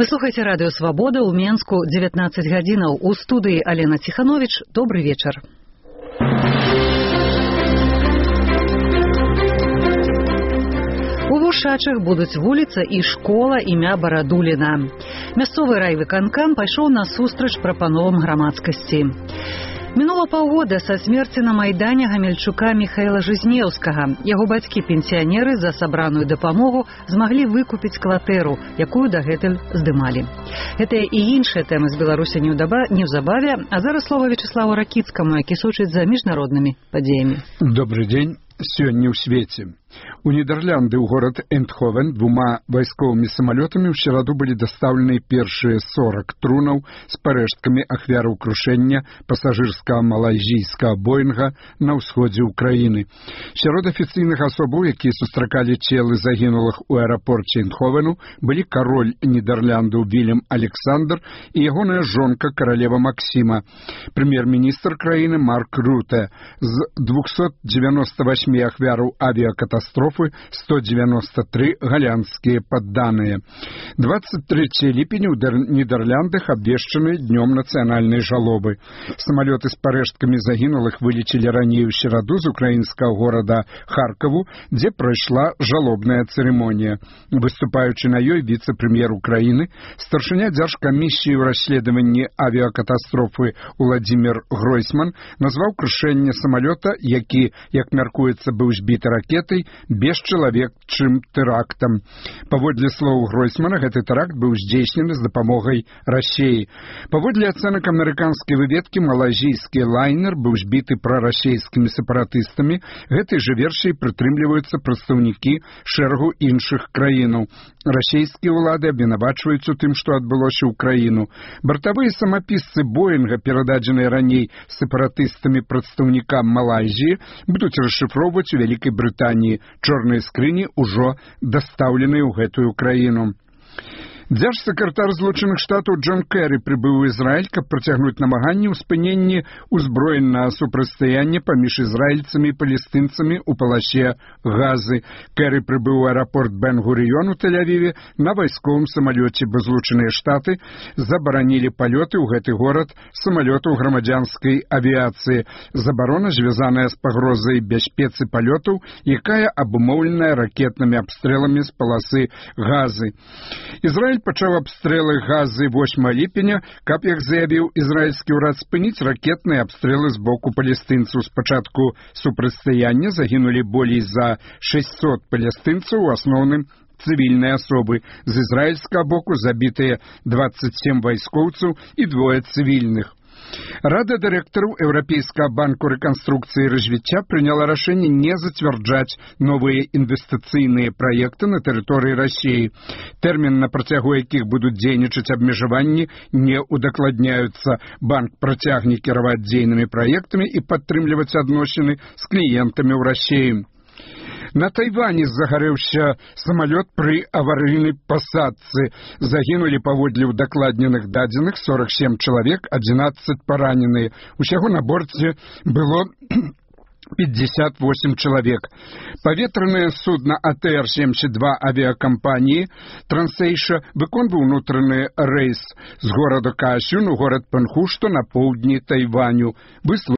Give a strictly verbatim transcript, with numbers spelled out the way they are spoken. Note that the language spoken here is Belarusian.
Вы слухаеце радыё Свабода ў Менску дзевятнаццаць гадзінаў. У студыі Алена Ціхановіч. Добры вечар. У Вушачах будуць вуліца і школа імя Барадуліна. Мясцовы райвыканкам пайшоў насустрач прапановам грамадскасці. Мінула паўгода са смерці на Майдане гамельчука Міхаіла Жизнеўскага. Яго бацькі-пенсіянеры за сабраную дапамогу змаглі выкупіць кватэру, якую дагэтуль здымалі. Гэтыя і іншыя тэмы з Беларусі неўзабаве, а зараз слова Вячеславу Ракіцкаму, які сочыць за міжнароднымі падзеямі. Добрый день. Сёння ў свеце. У Нідерланды ў горад Эндховен двума вайсковымі самалётамі ў сераду былі дастаўлены першыя сорок трунаў з парэшткамі ахвяраў крушэння пасажырскага малайзійскага Боінга на ўсходзе ўкраіны. Сярод афіцыйных асобаў, якія сустракалі целы загінулых у аэрапорце Эндховену, былі кароль Нідерландаў Вільям Александр і ягоная жонка каралева Максіма, прэм'ер-міністр краіны Марк Руте. З двухсот девяноста восьми ахвяраў авиакатастрофы сто девяносто три голландские подданные. двадцать третьего ліпеня ў Нідерландах абвешчаны днём нацыянальнай жалобы. Самалёты з парэшткамі загінулых вылецелі раней у сераду з украінскага горада Харкаву, дзе прайшла жалобная цырымонія. Выступаючы на ёй віцэ-прэм'ер Украіны, старшыня дзяржкамісіі ў расследаванні авиакатастрофы Уладзімір Гройсман назваў крушэнне самалёта, які, як мяркуецца, быў збіты ракетай, бесчалавечым тэрактам. Паводле слоў Гройсмана, гэты тэракт быў здзейснены з дапамогай Расіі. Паводле ацэнак амерыканскай выведкі, малайзійскі лайнер быў збіты прарасійскімі сепаратыстамі. Гэтай жа версіяй прытрымліваюцца прадстаўнікі шэрагу іншых краінаў. Расійскія ўлады абвінавачваюць у тым, што адбылося ў краіну. Бартавыя самапісцы Боінга, перададзеныя раней сепаратыстамі прадстаўнікам Малайзіі, будуць расшыфроўваць у Вялікай Брытаніі. Чорныя скрыні ўжо дастаўленыя ў гэтую краіну. Дзяржсакратар Злучаных Штатаў Джон Кэры прыбыў у Ізраіль, каб працягнуць намаганні ў спыненні ўзброенага супрацьстаяння паміж ізраільцамі і палестынцамі ў паласе Газы. Кэры прыбыў у аэрапорт Бен-Гурыён у Тель-Авіве на вайсковым самалёце, бо Злучаныя Штаты забаранілі палёты ў гэты горад самалётаў грамадзянскай авіяцыі. Забарона звязаная з пагрозай бяспецы палётаў, якая абумоўленая ракетнымі абстрэламі з паласы Газы. Ізраіль пачаў абстрэлы Газы восьмага ліпеня, каб, як заявіў ізраільскі ўрад, спыніць ракетныя абстрэлы з боку палестынцаў. З пачатку супрацьстаяння загінулі болей за шэсцьсот палестынцаў, у асноўным цывільныя асобы. З ізраільскага боку забітыя дваццаць сем вайскоўцаў і двое цывільных. Рада дырэктараў Еўрапейскага банку рэканструкцыі і развіцця прыняла рашэнне не зацвярджаць новыя інвестыцыйныя праекты на тэрыторыі Расіі. Тэрмін, на працягу якіх будуць дзейнічаць абмежаванні, не удакладняюцца. Банк працягне кіраваць дзейнымі праектамі і падтрымліваць адносіны з кліентамі ў Расіі. На Тайване загарэўся самалёт пры аварыйнай пасадцы. Загінулі, паводле ўдакладненых дадзеных, сорок семь чалавек, адзінаццаць параненыя. Усяго на борце было пятьдесят восемь чалавек. Паветранае судна А Т Р семьдесят два авиакампании Трансейша выконваў унутраны рэйс з горада Каасюн у горад Пэнху, што на поўдні Тайваню.